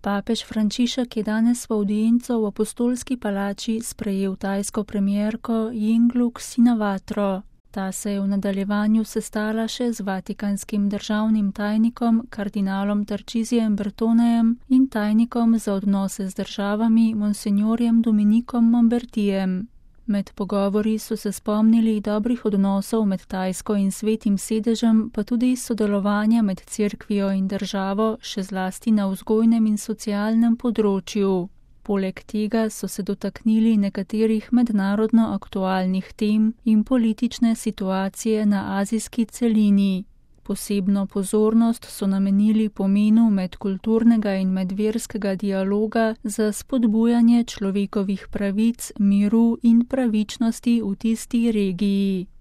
Papež Frančišek je danes v avdienco v Apostolski palači sprejel tajsko premierko Yingluck Shinawatro. Ta se je v nadaljevanju sestala še z vatikanskim državnim tajnikom kardinalom Tarcisijem Bertonejem in tajnikom za odnose z državami monsignorjem Dominikom Mombertijem. Med pogovori so se spomnili dobrih odnosov med Tajsko in Svetim sedežem, pa tudi sodelovanja med cerkvijo in državo, še zlasti na vzgojnem in socialnem področju. Poleg tega so se dotaknili nekaterih mednarodno aktualnih tem in politične situacije na azijski celini. Posebno pozornost so namenili pomenu medkulturnega in medverskega dialoga za spodbujanje človekovih pravic, miru in pravičnosti v tisti regiji.